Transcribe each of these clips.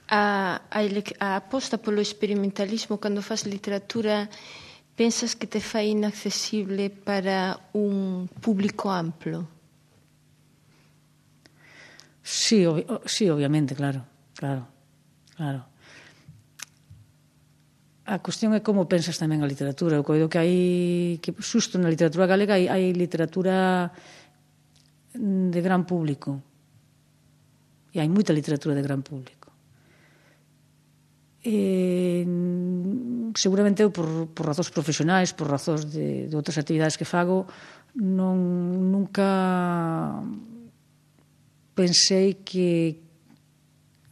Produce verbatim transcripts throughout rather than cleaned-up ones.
A, a, a aposta polo experimentalismo cando faz literatura, pensas que te fai inaccesible para un público amplo? Sí, ob sí, obviamente, claro, claro, claro. A cuestión é como pensas tamén a literatura. Eu coido que hai, que xusto na literatura galega hai, hai literatura de gran público. E hai moita literatura de gran público. E, seguramente eu por, por razóns profesionais, por razóns de, de outras actividades que fago, non, nunca pensei que,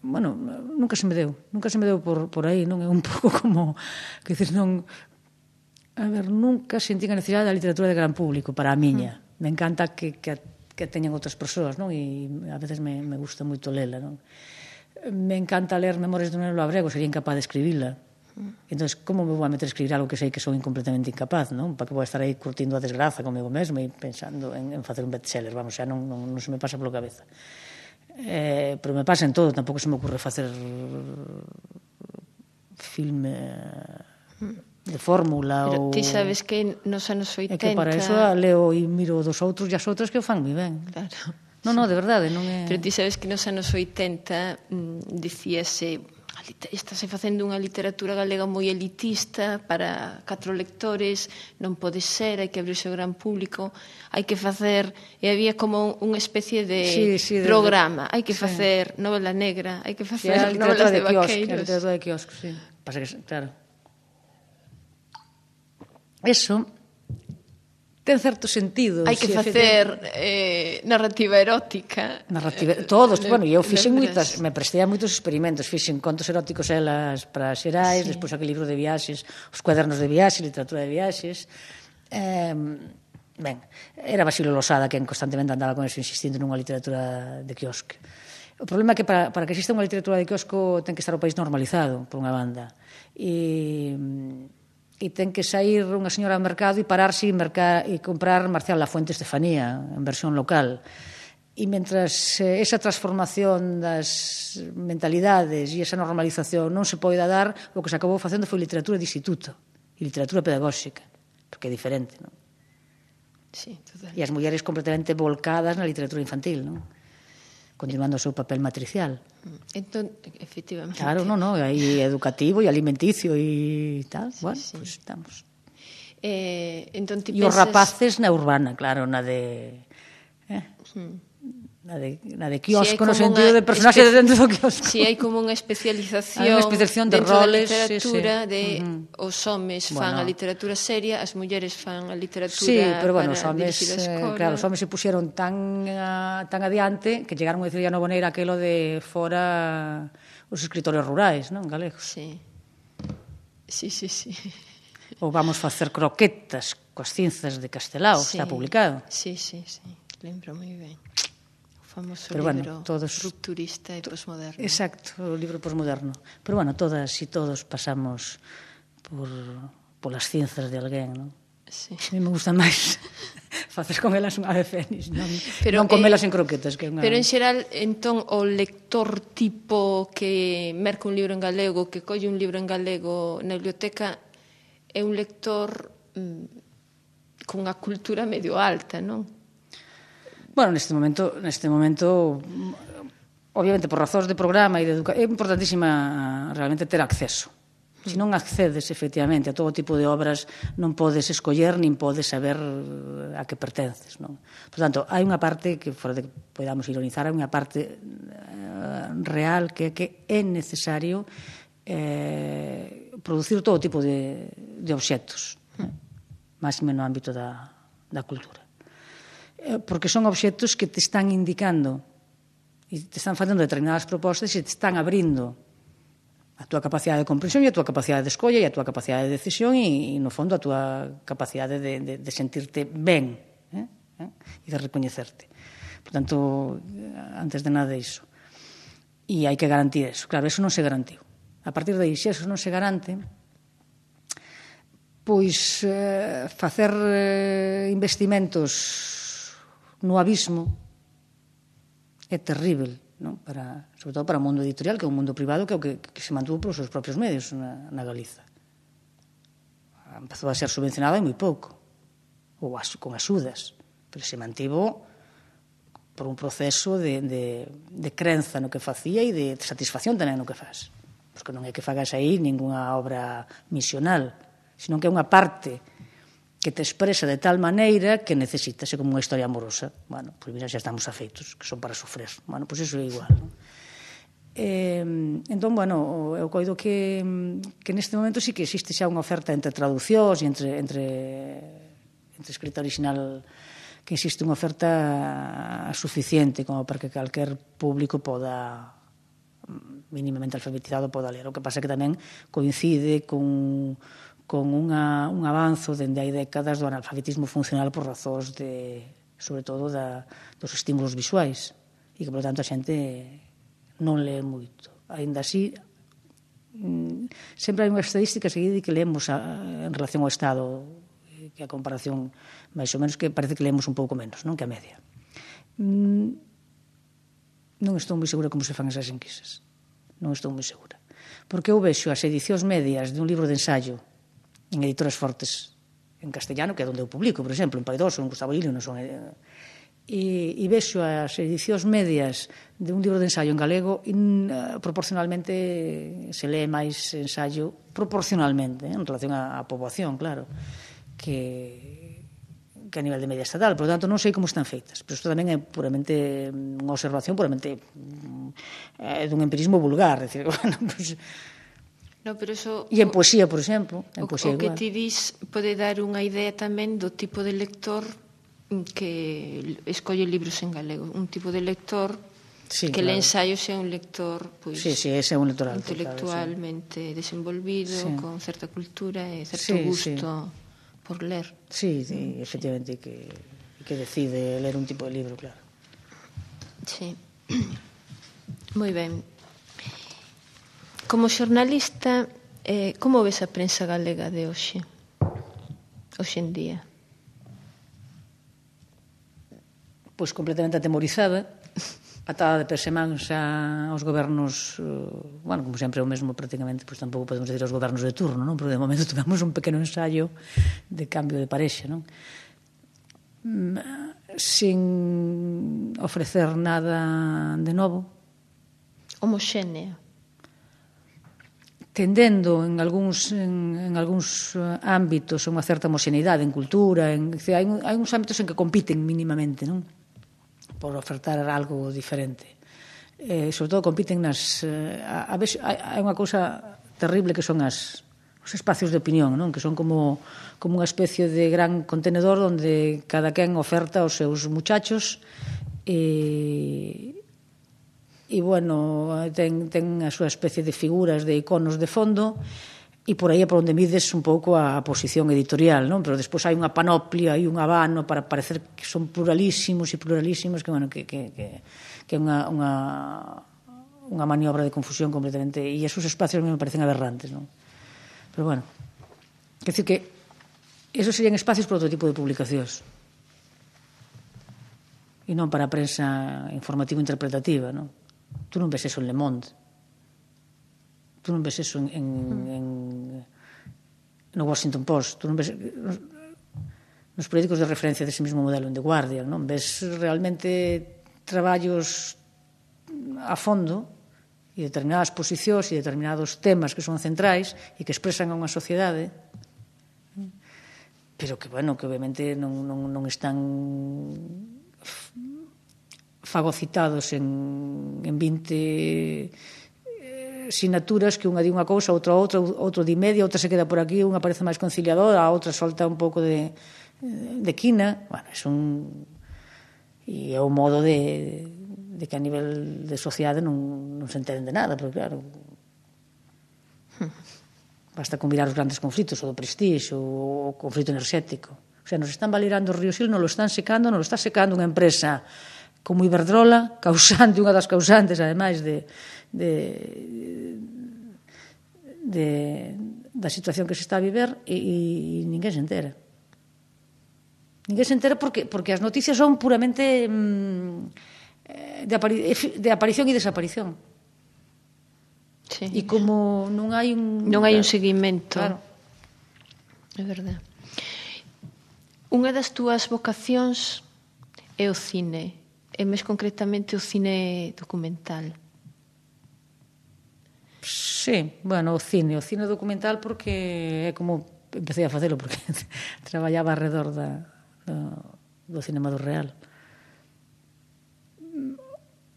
bueno, nunca se me deu, nunca se me deu por, por aí, non é un pouco como, que dices, non, a ver, nunca sentí a necesidade da literatura de gran público para a miña. Mm. Me encanta que, que, que teñan outras persoas, non? E a veces me, me gusta moito lela, non? Me encanta ler Memorias de un neno labrego, sería incapaz de escribila. Entón, como me vou a meter a escribir algo que sei que son incompletamente incapaz, non? Para que vou estar aí curtindo a desgraza comigo mesmo e pensando en, en facer un bestseller, vamos, xa non, non, non se me pasa polo cabeza. Eh, pero me pasa en todo, tampouco se me ocurre facer filme de fórmula. Pero ou... ti sabes que nos anos oitenta... É que para eso leo e miro dos outros e as outras que o fan moi ben. Claro. Non, non, de verdade, non é... Pero ti sabes que nos anos oitenta mmm, dicíase, estase facendo unha literatura galega moi elitista para catro lectores, non pode ser, hai que abrirse ao gran público, hai que facer, e había como unha especie de sí, sí, programa, de... hai que facer sí. novela negra, hai que facer sí, novelas de, de vaqueiros. A literatura de quiosco, sí. Pasa que, claro. Eso... ten certo sentido. Hai que facer eh, narrativa erótica. Narrativa, todos, eh, bueno, eu fixen moitas, me prestei a moitos experimentos, fixen contos eróticos elas para Xerais, sí. Despois aquel libro de viaxes, os cuadernos de viaxes, literatura de viaxes. Eh, ben, era Basilio Losada quen constantemente andaba con eso insistindo nunha literatura de quiosque. O problema é que para, para que exista unha literatura de quiosco ten que estar o país normalizado, por unha banda. E... e ten que sair unha señora ao mercado e pararse e, mercar, e comprar Marcial Lafuente Estefanía en versión local. E mentras esa transformación das mentalidades e esa normalización non se poida dar, o que se acabou facendo foi literatura de instituto e literatura pedagóxica, porque é diferente, non? Sí, totalmente. E as mulleres completamente volcadas na literatura infantil, non? Continuando o seu papel matricial. Entón, efectivamente. Claro, non, non, aí educativo e alimenticio e tal, sí, bueno, sí. Pois pues estamos. Eh, entón, ti e pensas... os rapaces na urbana, claro, na de... Eh? Hmm. Na de, na de quiosco, si no sentido de personaxe espe... dentro do quiosco. Si hai como unha especialización, unha especialización de dentro roles, da literatura, sí, sí. de uh-huh. os homes fan bueno. a literatura seria, as mulleres fan a literatura sí, pero bueno, para homes, dirigir a escola. Claro, os homes se puxeron tan, uh, tan adiante que chegaron a dicir a Novoneira aquelo de fora os escritores rurais, non, galegos. Sí, sí, sí, sí. Ou vamos facer croquetas coas cinzas de Castelao, sí. Está publicado. Sí, sí, sí, lembro moi ben. Famoso pero libro bueno, todos, rupturista e posmoderno. Exacto, o libro posmoderno. Pero bueno, todas e todos pasamos por polas cinzas de alguén, non? Sí. A mí me gusta máis facer con elas unha ave fénix, non, pero, non comelas eh, en croquetas. Que unha... Pero en xeral, entón, o lector tipo que merca un libro en galego, que colle un libro en galego na biblioteca, é un lector mmm, con unha cultura medio alta, non? Bueno, neste momento, neste momento, obviamente por razóns de programa e de educación, é importantísima realmente ter acceso. Se non accedes efectivamente a todo tipo de obras, non podes escoller nin podes saber a que pertences, non? Por tanto, hai unha parte que fora de que podamos ironizar, hai unha parte uh, real que, que é necesario eh, producir todo tipo de, de obxectos, mm. máximo no ámbito da, da cultura. Porque son obxectos que te están indicando e te están facendo determinadas propostas e te están abrindo a túa capacidade de comprensión e a túa capacidade de escolla e a túa capacidade de decisión e, e no fondo, a túa capacidade de, de, de sentirte ben eh? Eh? e de recoñecerte. Por tanto, antes de nada iso. E hai que garantir eso. Claro, eso non se garantiu. A partir de aí, se eso non se garante, pois eh, facer eh, investimentos no abismo é terrible, non? Para, sobre todo para o mundo editorial, que é un mundo privado que é o que, que se mantuvo polos seus propios medios na, na Galiza. Empezou a ser subvencionado moi pouco, ou as, con axudas, pero se mantivo por un proceso de, de, de crenza no que facía e de satisfacción tamén no que faz. Porque non é que fagas aí ningunha obra misional, senón que é unha parte que te expresa de tal maneira que necesitase como unha historia amorosa. Bueno, pois mira, xa estamos afeitos, que son para sofrer. Bueno, pois iso é igual, non? Eh, entón, bueno, eu coido que, que neste momento sí que existe xa unha oferta entre traducións e entre, entre, entre escrita original, que existe unha oferta suficiente como para que calquer público poda, mínimamente alfabetizado, poda ler. O que pasa que tamén coincide con, con unha, un avanzo dende hai décadas do analfabetismo funcional por razóns de, sobre todo, da, dos estímulos visuais, e que, por tanto, a xente non lee moito. Ainda así, sempre hai unha estadística seguida que leemos a, en relación ao Estado, que a comparación máis ou menos que parece que leemos un pouco menos, non, que a media. Non estou moi segura como se fan esas enquisas. Non estou moi segura. Porque eu vexo as edicións medias de un libro de ensaio en editoras fortes en castellano, que é onde eu publico, por exemplo, en Paidós ou en Gustavo Lilio, non son... E, e vexo as edicións medias de un libro de ensaio en galego e uh, proporcionalmente se lee máis ensaio proporcionalmente, eh, en relación á, á poboación, claro, que, que a nivel de media estatal. Por lo tanto, non sei como están feitas, pero isto tamén é puramente unha observación puramente eh, dun empirismo vulgar, é dicir, bueno, pues, no, pero eso, e en poesía, por exemplo, en o, poesía o que igual. ti dis pode dar unha idea tamén do tipo de lector que escolle libros en galego, un tipo de lector sí, que claro. Le ensaio sea un lector pois, sí, sí, ese é un lector alto, intelectualmente claro, sí. Desenvolvido, sí. Con certa cultura e certo sí, gusto sí. Por ler. Sí, sí, efectivamente, que, que decide ler un tipo de libro, claro. Sí. Moi ben. Como xornalista, eh, como ves a prensa galega de hoxe? Hoxe en día? Pois completamente atemorizada, atada de persemáns aos gobernos, bueno, como sempre é o mesmo prácticamente, pois tampouco podemos decir aos gobernos de turno, non? Porque de momento tuvemos un pequeno ensayo de cambio de parexa, non? Sin ofrecer nada de novo. Homoxénea. Tendendo en algúns, en, en algúns ámbitos unha certa homoxeneidade en cultura, en, hai, hai uns ámbitos en que compiten mínimamente, non? Por ofertar algo diferente. Eh, sobre todo compiten nas... Eh, a, a vez, hai unha cousa terrible que son as, os espacios de opinión, non? Que son como, como unha especie de gran contenedor onde cada quen oferta os seus muchachos e, e bueno, ten, ten a súa especie de figuras, de iconos de fondo, e por aí é por onde mides un pouco a posición editorial, non? Pero despois hai unha panoplia e un abano para parecer que son pluralísimos e pluralísimos que, bueno, que, que, que, que é unha, unha, unha maniobra de confusión completamente, e esos espacios me parecen aberrantes, non? Pero bueno, quer dizer que esos serían espacios para outro tipo de publicacións e non para a prensa informativo-interpretativa, non? Tú non ves eso en Le Monde. Tú non ves eso en, en, en no Washington Post, tú non ves nos periódicos de referencia dese mesmo modelo en The Guardian, non ves realmente traballos a fondo e determinadas posicións e determinados temas que son centrais e que expresan a unha sociedade, pero que, bueno, que obviamente non, non, non están fagocitados en, en vinte sinaturas que unha di unha cousa, outra outra, outro di media, outra se queda por aquí, unha parece máis conciliadora, a outra solta un pouco de, de quina. Bueno, é un... E é un modo de, de que a nivel de sociedade non, non se entende nada, porque claro, basta con mirar os grandes conflitos, o do prestige, o, o conflito enerxético. O sea, nos están valirando o río Sil, nos lo están secando, nos lo está secando unha empresa como Iberdrola, causante, unha das causantes, ademais, de, de, de, da situación que se está a viver, e, e ninguén se entera. Ninguén se entera porque, porque as noticias son puramente... Mmm, de, apari de aparición e desaparición. Sí. E como non hai un... Non hai un seguimento. Claro. É verdade. Unha das túas vocacións é o cine, e máis concretamente o cine documental. Sí, bueno, o cine, o cine documental porque é como empecé a facelo porque traballaba alrededor da, do, do cinema do real.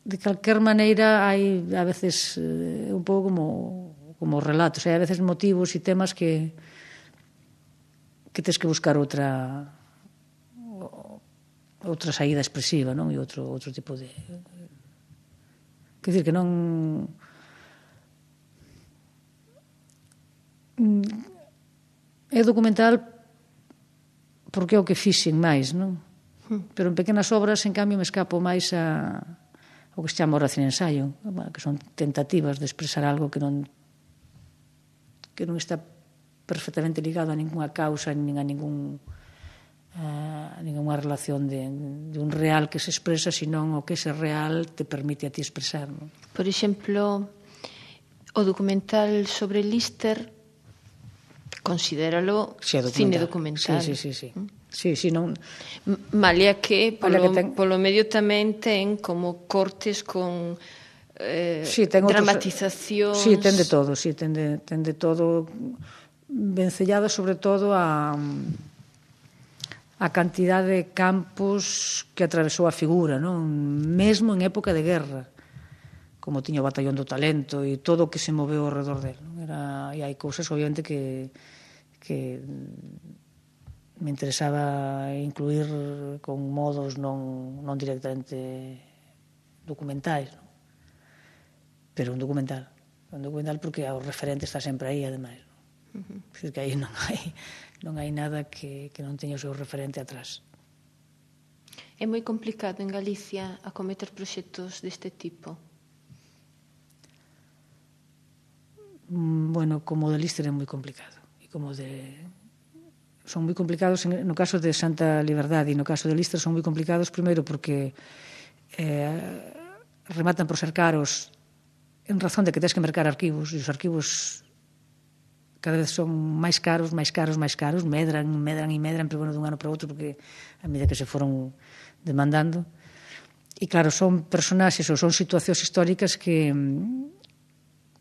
De calquer maneira hai a veces eh, un pouco como como relatos, hai a veces motivos e temas que que tes que buscar outra outra saída expresiva, non? E outro outro tipo de quer dizer que non é documental porque é o que fixen máis, non? Pero en pequenas obras, en cambio, me escapo máis a o que se chama oración e ensaio, que son tentativas de expresar algo que non que non está perfectamente ligado a ninguna causa nin a ningún a ninguna relación de, de un real que se expresa, senón o que ese real te permite a ti expresar, non? Por exemplo, o documental sobre Lister considéralo sí, documental. Cine documental. Sí, sí, sí, sí. Sí, sí, non... Malia que polo, Malia que ten... polo medio tamén ten como cortes con eh, sí, ten dramatizacións. Outros... Sí, ten de todo, sí, ten de, ten de todo, vencellado sobre todo a a cantidad de campos que atravesou a figura, non? Mesmo en época de guerra, como tiña o Batallón do Talento e todo o que se moveu ao redor del, non? Era, e hai cousas, obviamente, que que me interesaba incluir con modos non, non directamente documentais, non? Pero un documental. Un documental porque o referente está sempre aí, ademais. Non? Uh-huh. Decir que aí non hai, non hai nada que, que non teña o seu referente atrás. É moi complicado en Galicia acometer proxectos deste tipo? Bueno, como o de Lister é moi complicado. E como de... son moi complicados no caso de Santa Liberdade e no caso de Lister son moi complicados primeiro porque eh, rematan por ser caros en razón de que tens que mercar arquivos e os arquivos cada vez son máis caros, máis caros, máis caros, medran, medran e medran, pero bueno, dun ano para outro porque a medida que se foron demandando e claro, son personaxes ou son situacións históricas que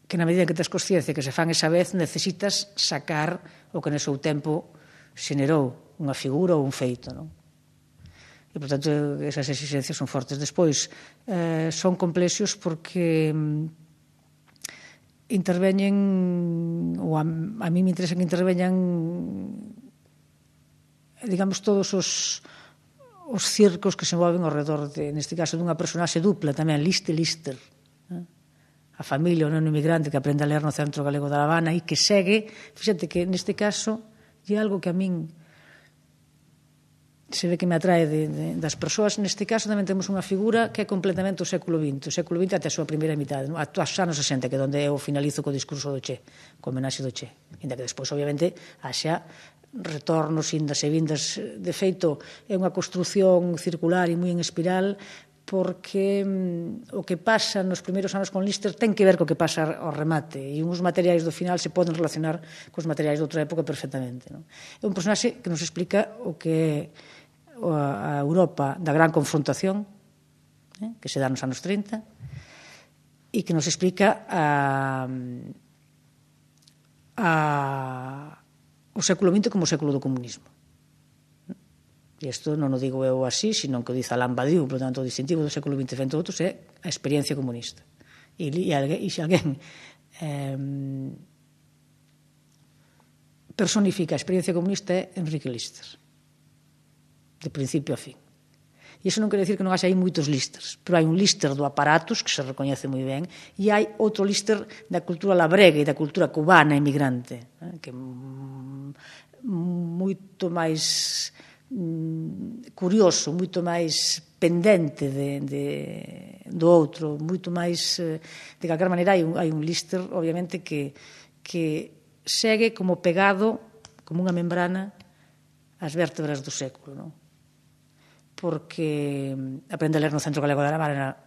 que na medida que tens consciencia que se fan esa vez necesitas sacar o que no seu tempo xenerou unha figura ou un feito, non? E, por tanto, esas exigencias son fortes. Despois, eh, son complexos porque interveñen, ou a, a mí me interesa que interveñan, digamos, todos os, os circos que se moven ao redor, de, neste caso, dunha personaxe dupla tamén, Liste Lister, eh? A familia, o neno inmigrante que aprende a ler no Centro Galego da Habana e que segue, fíxate que neste caso e algo que a min se ve que me atrae de, de, das persoas. Neste caso tamén temos unha figura que é completamente o século vinte, o século vinte até a súa primeira mitade, non? Aos anos sesenta, que é onde eu finalizo co discurso do Che, co homenaxe do Che, ainda que despois obviamente haxa retornos, indas e vindas. De feito é unha construción circular e moi en espiral porque mm, o que pasa nos primeiros anos con Lister ten que ver co que pasa ao remate e uns materiais do final se poden relacionar cos materiais de outra época perfectamente, non? É un personaxe que nos explica o que é a Europa da gran confrontación, eh, que se dá nos anos trinta e que nos explica a, a, o século vinte como o século do comunismo. E isto non o digo eu así, sino que o dice Alain Badiou, por tanto, o distintivo do século vinte frente a outros é a experiencia comunista. E, e, e se alguén eh, personifica a experiencia comunista é Enrique Lister, de principio a fin. E iso non quere decir que non haxa aí moitos Listers, pero hai un Lister do aparatus, que se recoñece moi ben, e hai outro Lister da cultura labrega e da cultura cubana emigrante, que é moito máis curioso, moito máis pendente de, de, do outro, moito máis, de calquer maneira hai un, hai un Lister obviamente que, que segue como pegado como unha membrana ás vértebras do século, non? porque aprende a ler no Centro Galego de Aramara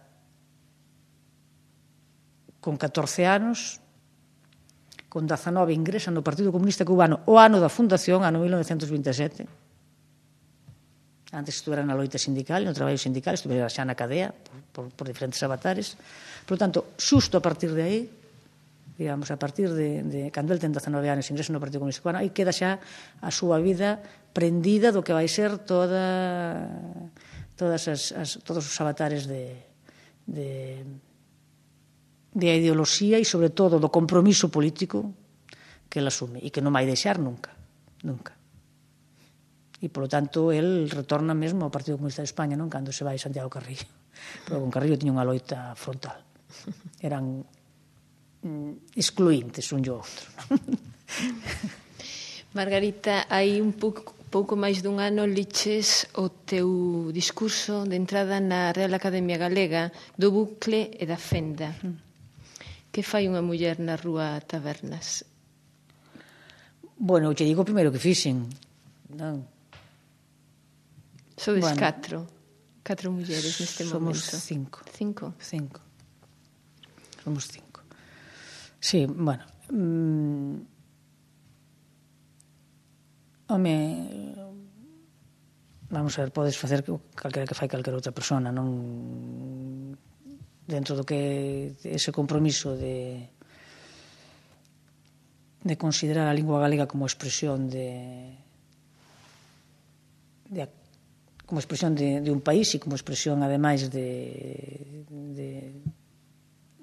con catorce anos, con dezanove ingresa no Partido Comunista Cubano o ano da fundación, ano mil novecentos vinte e sete. Antes estuvera na loita sindical, no traballo sindical, estuvera xa na cadea por, por, por diferentes avatares. Por tanto, xusto a partir de aí, digamos, a partir de, de cando el ten dezanove anos ingresa no Partido Comunista Cubano, aí queda xa a súa vida prendida do que vai ser toda todas as, as, todos os avatares de, de, de ideoloxía e, sobre todo, do compromiso político que el asume e que non vai deixar nunca, nunca. E, polo tanto, el retorna mesmo ao Partido Comunista de España, non? Cando se vai Santiago Carrillo. Pero con Carrillo tiña unha loita frontal. Eran excluintes un e outro. Margarita, hai un pouco, pouco máis dun ano liches o teu discurso de entrada na Real Academia Galega do bucle e da fenda. Que fai unha muller na rúa Tabernas? Bueno, te digo primeiro que fixen, non? Sodes bueno, catro, catro mulleres neste somos momento. Somos cinco. Cinco? Cinco. Somos cinco. Sí, bueno. Mmm, home, vamos a ver, podes facer calquera que fai calquera outra persona, non dentro do que ese compromiso de de considerar a lingua galega como expresión de, de como expresión de, de un país e como expresión, ademais, de, de,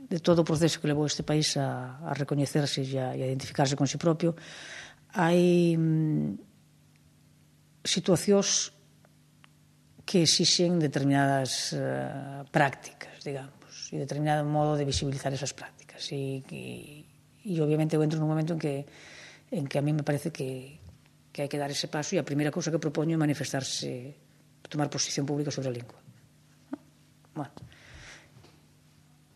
de todo o proceso que levou este país a, a recoñecerse e a, a identificarse con si propio. Hai mm, situacións que exixen determinadas uh, prácticas, digamos, e determinado modo de visibilizar esas prácticas. E, e, e obviamente eu entro nun momento en que, en que a mí me parece que, que hai que dar ese paso, e a primeira cousa que propoño é manifestarse, tomar posición pública sobre a lingua. Bueno,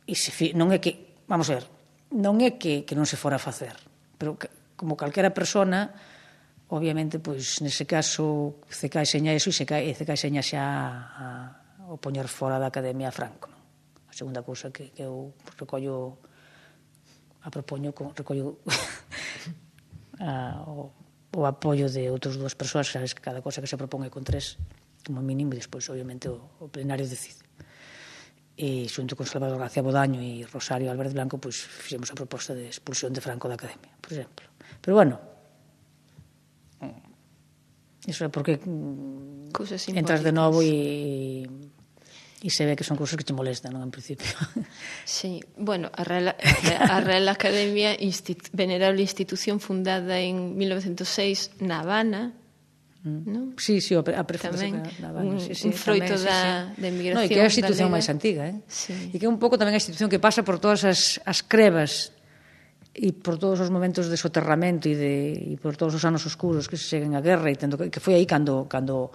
e se, non é que, vamos a ver, non é que, que non se fora a facer, pero que, como calquera persona, obviamente, pois, nese caso, C K seña eso e C K seña xa a, a, o poñer fora da Academia a Franco, non? A segunda cousa que, que eu recollo, a propoño, recollo a, o, o apoio de outras dúas persoas, sabes que cada cosa que se propón é con tres, como mínimo, e despois, obviamente, o, o plenario decide. E xunto con Salvador García Bodaño e Rosario Álvarez Blanco, pois, fixemos a proposta de expulsión de Franco da Academia, por exemplo. Pero, bueno, iso é porque entras de novo e, e se ve que son cousas que te molestan, non, en principio. Sí, bueno, a Real, a Real Academia, instit, venerable institución fundada en mil novecientos seis na Habana, non? Sí, sí, a prefundación na Habana. Un, sí, sí, un froito tamén, da, sí, sí. da emigración. No, e que é a institución máis antiga, eh? Sí. E que é un pouco tamén a institución que pasa por todas as, as crevas e por todos os momentos de soterramento e, de, e por todos os anos oscuros que se seguen a guerra, e tendo, que foi aí cando, cando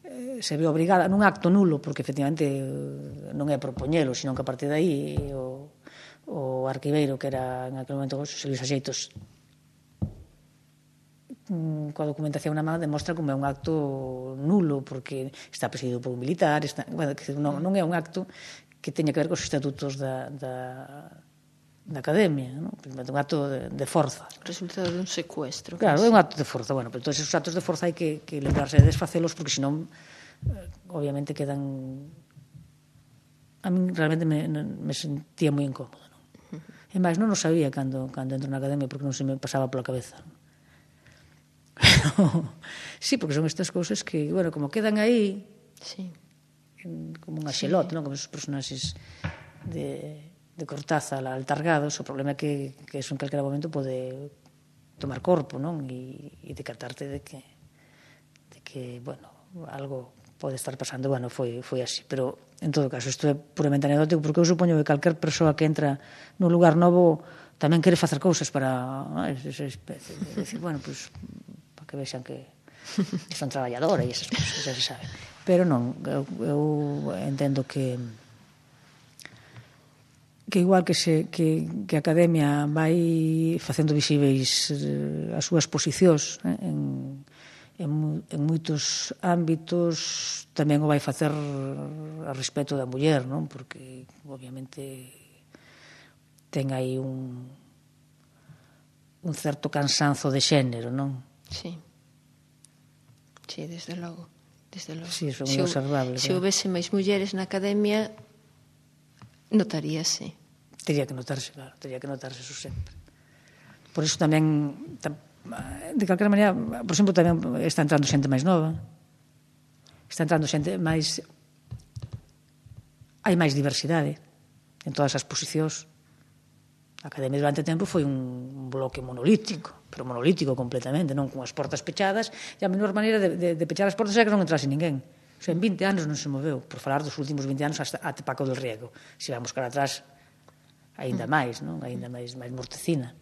eh, se ve obrigada nun acto nulo, porque efectivamente non é propoñelo, sino que a partir de aí o, o arquiveiro, que era en aquel momento Xosé Luis Axeitos, coa documentación na mão, demostra como é un acto nulo, porque está presidido por un militar, está, bueno, non, non é un acto que teña que ver cos estatutos da, da da Academia, non? Un acto de, de forza. Resultado dun secuestro. Claro, é un acto de forza. Bueno, pero todos esos actos de forza hai que, que lembrarse de desfacelos, porque senón, eh, obviamente, quedan... A mí realmente me, me sentía moi incómodo, non? E máis, non o sabía cando, cando entro na Academia, porque non se me pasaba pola cabeza. Sí, porque son estas cousas que, bueno, como quedan aí, sí, como un axelote, sí, non? Como esos personaxes de... de Cortázar, altargados, o problema é que, que eso en calquera momento pode tomar corpo, non? E, e decatarte de que, de que, bueno, algo pode estar pasando. Bueno, foi, foi así. Pero, en todo caso, isto é puramente anecdótico, porque eu supoño que calquer persoa que entra nun lugar novo tamén quere facer cousas para... Ah, esa especie de decir, bueno, pues, para que vexan que son traballadora e esas cousas, xa se sabe. Pero non, eu, eu entendo que que igual que, se, que, que a Academia vai facendo visíveis as súas posicións, eh, en, en, en moitos ámbitos tamén o vai facer a respecto da muller, non? Porque obviamente ten aí un un certo cansanzo de xénero, non? Sí. Sí, desde logo. Desde logo. Sí, eso é moi observable. Se houvese máis mulleres na academia, notaríase. Tería que notarse, claro, tería que notarse eso sempre. Por iso tamén, de calquera maneira, por exemplo, tamén está entrando xente máis nova, está entrando xente máis... Hai máis diversidade en todas as posicións. A academia durante tempo foi un bloque monolítico, pero monolítico completamente, non con as portas pechadas, e a menor maneira de, de, de pechar as portas era que non entrase ninguén. O sea, en vinte anos non se moveu, por falar dos últimos vinte anos hasta, até Paco del Riego. Se vamos cara atrás, aínda máis, non? Aínda máis, máis mortecina.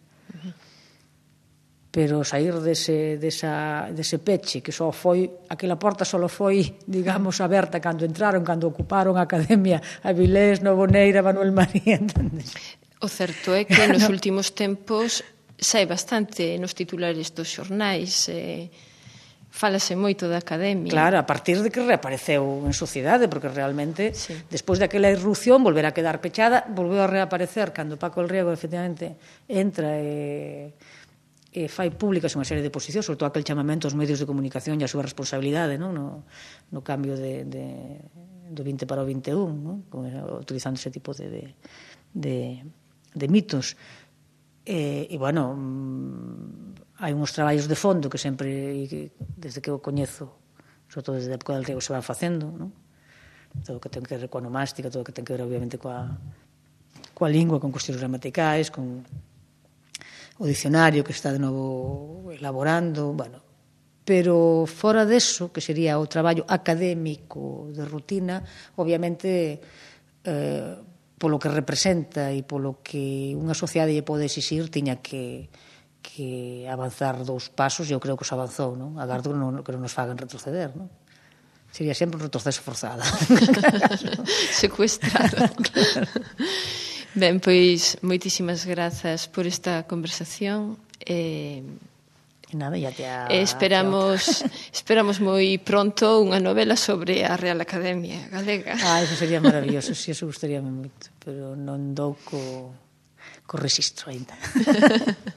Pero sair dese, desa, dese peche, que só foi, aquela porta só foi, digamos, aberta cando entraron, cando ocuparon a academia Avilés, Novoneira, Manuel María, entendes? O certo é que nos últimos tempos sai bastante nos titulares dos xornais, eh, fálase moito da academia. Claro, a partir de que reapareceu en sociedade, porque realmente, sí. Despois daquela irrupción, volver a quedar pechada, volveu a reaparecer cando Paco el Riego, efectivamente, entra e, e fai públicas unha serie de posicións, sobre todo aquel chamamento aos medios de comunicación e a súa responsabilidade, non? No, no cambio de, de, do vinte para o vinte e un, non? Utilizando ese tipo de... de, de de mitos e, e bueno hai uns traballos de fondo que sempre desde que o coñezo sobre todo desde a época del Riego se van facendo, non? Todo o que ten que ver coa onomástica, todo o que ten que ver obviamente coa, coa lingua, con cuestións gramaticais, con o dicionario que está de novo elaborando, bueno, pero fora deso, que sería o traballo académico de rutina, obviamente eh, polo que representa e polo que unha sociedade lle pode exixir, tiña que, que avanzar dous pasos, e eu creo que os avanzou, non? Agardo que non, que non nos fagan retroceder, non? Sería sempre un retroceso forzado. Secuestrado. Claro. Ben, pois, moitísimas grazas por esta conversación. E... Nada, ya te ha... Esperamos esperamos moi pronto unha novela sobre a Real Academia Galega. Ah, eso sería maravilloso, si, sí, eso gustaríame moito, pero non dou co, co rexistro ainda.